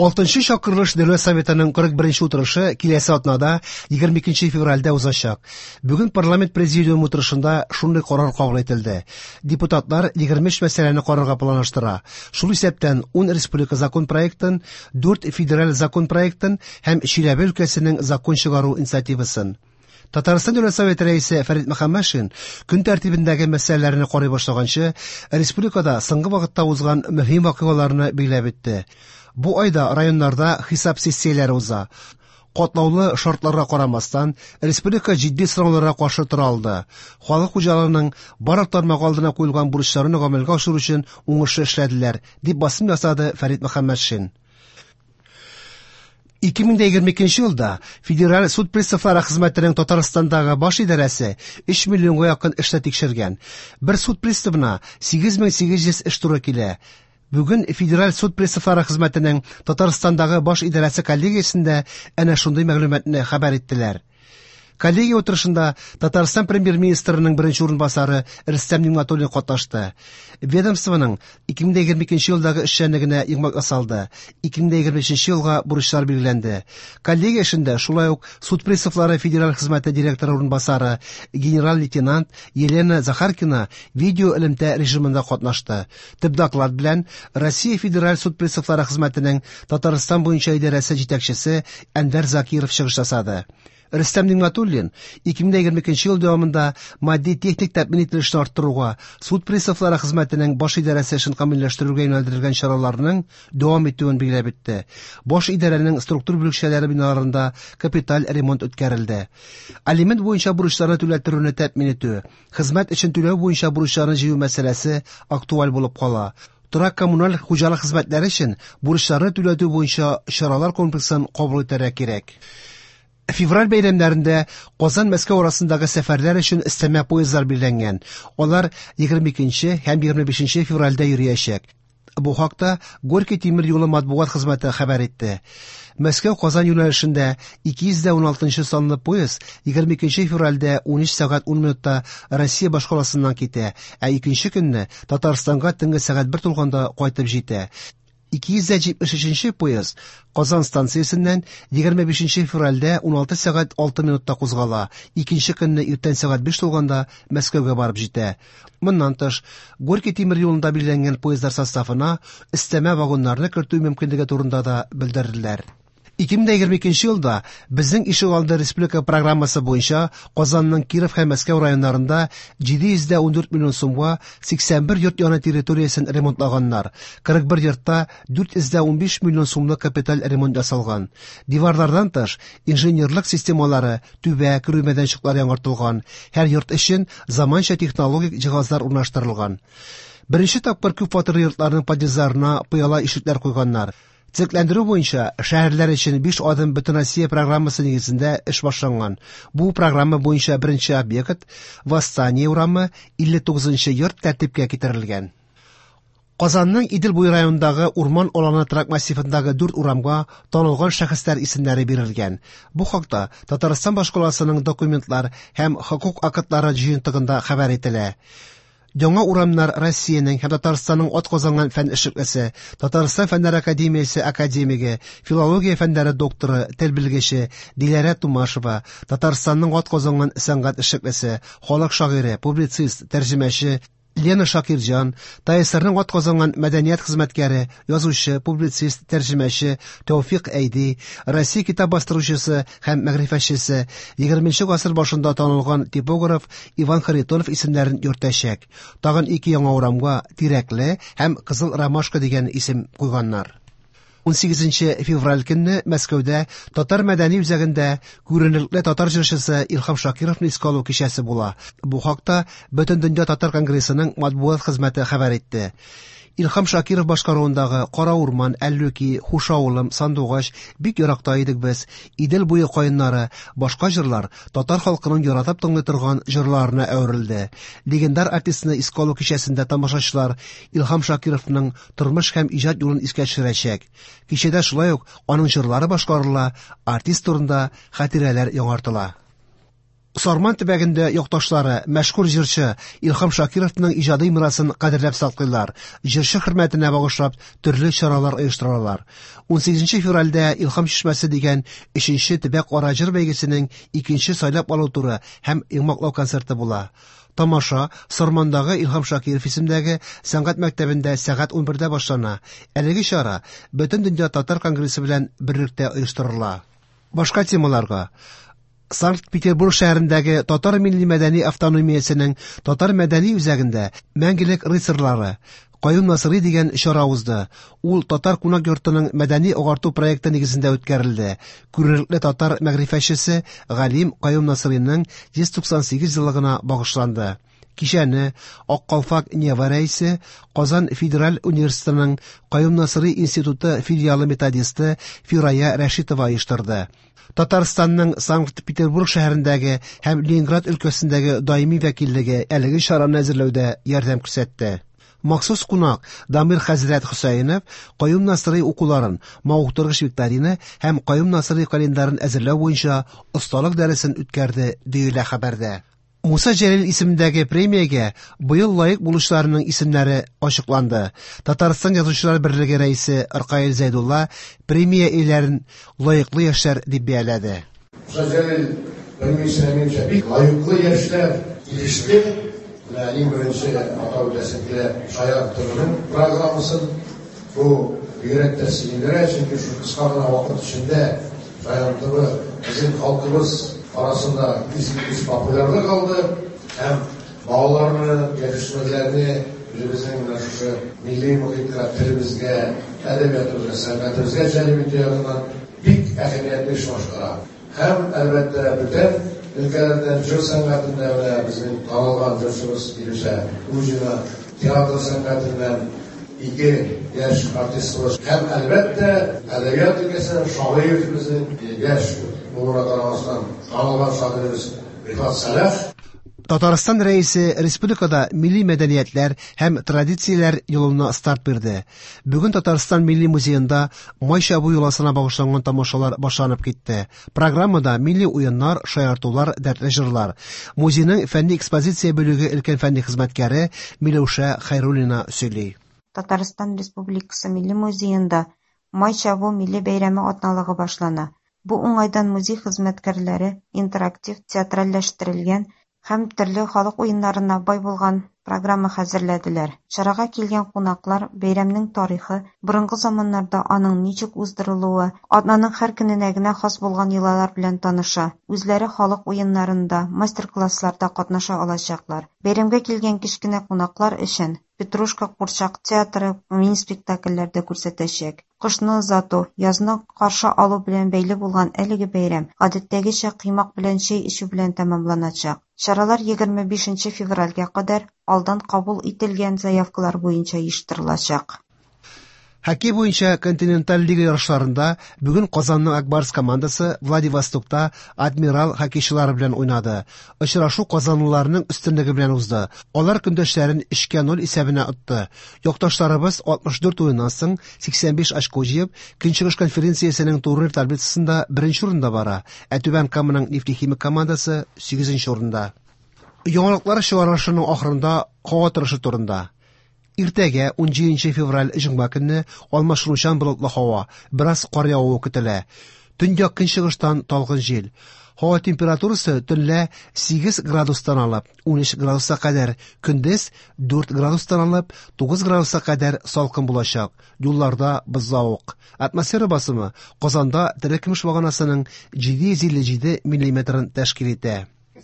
Алтынчы чакырылыш Дәүләт Советының 41 утырышы киләсе атнада 22 февральдә узачак. Бүген парламент президиумы утырышында шундый карар кабул ителде. Депутатлар 23 мәсьәләне карарга планлаштыра. Шул исәптән 10 республика закон проектын, 4 федераль закон проектын һәм Чиләбе өлкәсенең закон чыгару инициативасын. Татарстан Дәүләт Советы рәисе Фәрит Мөхәммәтшин көн тәртибендәге мәсьәләләрне карый башлаганчы, республикада соңгы вакытта узган мөһим вакыйгаларны билгеләп үтте. Бу айда районнарда хисап сессияләре уза. Катлаулы шартларга карамастан, республика җитди сынауларга каршы тора алды. Халык хуҗалыгының барлык тармагы алдына куелган бурычларны гамәлгә ашыру өчен уңышлы эшләделәр, дип басым ясады Фәрит Мөхәммәтшин. 2022 елда Федераль суд приставлары хезмәтенең Татарстандагы баш идарәсе 3 миллионга якын эшне тикшергән. Бер суд приставына 8800 эш туры килә. Бүген Федераль суд приставлары хезмәтенең Татарстандагы баш идарәсе коллегиясендә әнә шундый мәгълүматны хәбәр иттеләр. Коллегия утырышында Татарстан премьер-министрының беренче урынбасары Рөстәм Нигъмәтуллин катнашты. Ведомствоның 2022 елдагы эшчәнлегенә йомгак ясалды. 2023 елга бурычлар билгеләнде. Коллегия эшендә шулай ук суд приставлары федераль хезмәте директоры урынбасары генерал-лейтенант Елена Захаркина видео элемтә режимында катнашты. Төп доклад белән Россия Федераль суд приставлары хезмәтенең Татарстан буенча идарәсе җитәкчесе Әнвәр Закиров чыгыш ясады. Рөстәм Нигъмәтуллин 2022 ел дәвамында матди-техник тәэмин ителешне арттыруга, суд приставлары хезмәтенең баш идарәсе эшен камилләштерүгә юнәлдерелгән чараларның дәвам итүен билгеләп үтте. Баш идарәнең структур бүлекчәләре биналарында капиталь ремонт үткәрелде. Алимент буенча бурычларны түләттерүне тәэмин итү, хезмәт өчен түләү буенча бурычларны җыю мәсьәләсе актуаль булып кала. Торак коммуналь хуҗалык хезмәтләре өчен бурычларны түләтү буенча чаралар комплексын кабул итәргә кирәк. Февраль бәйрәмнәрендә Казан-Мәскәү арасындагы сәфәрләр өчен өстәмә поездлар билгеләнгән. Алар 22 һәм 25 февральдә йөриячәк. Бу хакта Горький тимер юлы матбугат хезмәте хәбәр итте. Мәскәү-Казан юнәлешендә 216 санлы поезд 22 февральдә 13 сәгать 10 минутта Россия башкаласыннан китә, ә икенче көнне Татарстанга төнге сәгать 1 тулганда кайтып җитә. 273 поезд Казан станциясеннән 25 февральдә 16 сәгать 6 минутта кузгала, икенче көнне иртән сәгать 5 тулганда Мәскәүгә барып җитә. Моннан тыш, Горький тимер юлында билгеләнгән поездлар составына өстәмә вагоннарны кертү мөмкинлеге турында да белдерделәр. 2022 елда Безнең ишегалды республика программасы буенча Казанның Киров һәм Мәскәү районнарында 714 миллион сумга 81 йорт яны территориясен ремонтлаганнар. 41 йортта 415 миллион сумлык капиталь ремонт ясалган. Диварлардан тыш, инженерлык системалары, түбә, керү мәйданчыклары яңартылган. Һәр йорт өчен заманча технологик җиһазлар урнаштырылган. Беренче тапкыр күп фатирлы йортларның подъездларына пыяла ишекләр куйганнар. Төзекләндерү буенча шәһәрләр өчен 5 адым Бөтенроссия программасы нигезендә эш башланган. Бу программа буенча беренче объект Восстание урамы 59 йорт тәртипкә китерелгән. Казанның Идел буе районындагы Урман аланы торак массивындагы 4 урамга танылган шәхесләр исемнәре бирелгән. Бу хакта Татарстан башкаласының документлар һәм хокук актлары җыентыгында хәбәр ителә. Яңа урамнар Россиянең һәм Татарстанның атказанган фән эшлеклесе, Татарстан Фәннәр академиясе академигы, филология фәннәре докторы, тел белгече Диләрә Тумашева, Татарстанның атказанган сәнгать эшлеклесе, халык шагыйре, публицист, тәрҗемәче Лена Шакирҗан, ТАССРның атказанган мәдәният хезмәткәре, язучы, публицист, тәрҗемәче Тәүфик Әйди, Россия китап бастыручысы һәм мәгърифәтчесе, 20 гасыр башында танылган типограф Иван Харитонов исемнәрен йөртәчәк. Тагын ике яңа урамга Тирәкле һәм Кызыл Ромашка дигән исем куйганнар. 18 февраль көнне Мәскәүдә Татар мәдәни үзәгендә күренекле татар җырчысы Илһам Шакировны искә алу кичәсе була. Бу хакта Бөтендөнья татар конгрессының матбугат хезмәте хәбәр итте. Илһам Шакиров башкаруындагы Кара урман, Әллүки, Хуш авылым, Сандугач, Бик еракта идек без, Идел буе каеннары, башка җырлар татар халкының яратып тыңлый торган җырларына әверелде. Легендар артистны искә алу кичәсендә тамашачылар Илһам Шакировның тормыш һәм иҗат юлын искә төшерәчәк. Кичәдә шулай ук аның җырлары башкарыла, артист турында хатирәләр яңартыла. Сарман төбәгендә якташлары, мәшһүр җырчы Илһам Шакировның иҗади мирасын кадерләп саклыйлар, җырчы хөрмәтенә багышлап төрле чаралар оештыралар. 18 февральдә Илһам чишмәсе дигән 3нче төбәк-ара җыр бәйгесенең икенче сайлап алу туры һәм йомгаклау концерты була. Тамаша Сармандагы Илһам Шакиров исемендәге сәнгать мәктәбендә сәгать 11дә башлана. Әлеге чара Бөтендөнья татар конгрессы белән берлектә оештырыла. Башка темаларга Санкт-Петербург шәһәрендәге Татар милли мәдәни автономиясенең Татар мәдәни үзәгендә Мәңгелек рыцарьлары Каюм Насыйри дигән чара узды. Ул Татар кунак йортының мәдәни агарту проекты нигезендә үткәрелде. Күренекле татар мәгърифәтчесе галим Каюм Насыйриның 198 еллыгына багышланды. Кичәне Ак калфак Нева рәисе, Казан федераль университетының Каюм Насыйри институты филиалы методисты Фирая Рәшитова оештырды. Татарстанның Санкт-Петербург шәһәрендәге һәм Ленинград өлкәсендәге даими вәкиллеге әлеге чараны әзерләүдә ярдәм күрсәтте. Махсус кунак Дамир хәзрәт Хөсәенов Каюм Насыйри укуларын, мавыктыргыч викторина һәм Каюм Насыйри календарын әзерләү буенча осталык дәресен үткәрде, диелә хәбәрдә. Муса Җәлил исемендәге премиягә быел лаек булучыларның исемнәре ачыкланды. Татарстан Язучылар берлеге рәисе Ркаил Зәйдулла премия ияләрен лаеклы яшьләр дип бәяләде. Муса Җәлил премиясенә минемчә бик лаеклы яшьләр иреште. Менә иң беренче атап үтәсем килә Шаян ТВның программасын. Бу бигрәк тә сөендерә, чөнки шул кыска гына вакыт эчендә Шаян ТВ безнең халкыбыз арасында искиткеч популярлык алды һәм балаларны, яшүсмерләрне үзебезнең менә шушы милли мохиткә, телебезгә, әдәбиятыбызга, сәнгатебезгә җәлеп итү ягыннан бик әһәмиятле эш башкара. Һәм, әлбәттә, бүтән өлкәләрдән җыр сәнгатендә менә безнең танылган җырчыбыз Илүсә Хуҗина, театр сәнгатеннән ике яшь артистыбыз һәм, әлбәттә, әдәбият өлкәсеннән шагыйрь безнең яшь булуына карамастан танылган шагыйребез Рифат Сәлах. Татарстан Рәисе республикада милли мәдәниятләр һәм традицияләр елына старт бирде. Бүген Татарстан Милли музеенда Май чабу йоласына багышланган тамашалар башланып китте. Программада милли уеннар, шаяртулар, дәртле җырлар. Музейның фәнни экспозиция бүлеге өлкән фәнни хезмәткәре Миләүшә Хәйруллина сөйли. Татарстан Республикасы Милли музеенда Май чабу милли бәйрәме атналыгы башлана. Бу уңайдан музей хезмәткәрләре интерактив, театральләштерелгән һәм төрле халык уеннарына бай булган программа хәзерләделәр. Чарага килгән кунаклар бәйрәмнең тарихы, борынгы заманнарда аның ничек уздырылуы, атнаның һәр көненә генә хас булган йолалар белән таныша, үзләре халык уеннарында, мастер-классларда катнаша алачаклар. Бәйрәмгә килгән кечкенә кунаклар өчен Петрушка курчак театры мини-спектакльләр дә күрсәтәчәк. Кышны озату, язны каршы алу белән бәйле булган әлеге бәйрәм гадәттәгечә коймак белән чәй эчү белән тәмамланачак. Чаралар 25 февральгә кадәр алдан кабул ителгән заявкалар буенча оештырылачак. Хоккей буенча континенталь лига ярышларында бүген Казанның Ак Барс командасы Владивостокта Адмирал хоккейчылары белән уйнады. Очрашу казанлыларның өстенлеге белән узды. Алар көндәшләрен 3-0 исәбенә отты. Якташларыбыз 64 уеннан соң 85 очко җыеп, Көнчыгыш конференциясенең турнир таблицасында беренче урында бара, ә Түбән Каманың Нефтехимик командасы 8 урында. Яңалыклар чыгарылышының ахырында һава торышы турында. Иртәгә 17 февраль җомга көнне алмашынучан болытлы һава, бераз кар явуы көтелә. Төньяк көнчыгыштан талгын җил. Һава температурасы төнлә 8 градустан алып 13 градуска кадәр, көндез 4 градустан алып 9 градуска кадәр салкын булачак. Юлларда бозлавык. Атмосфера басымы Казанда терекөмеш баганасының 757 миллиметрын тәшкил итә.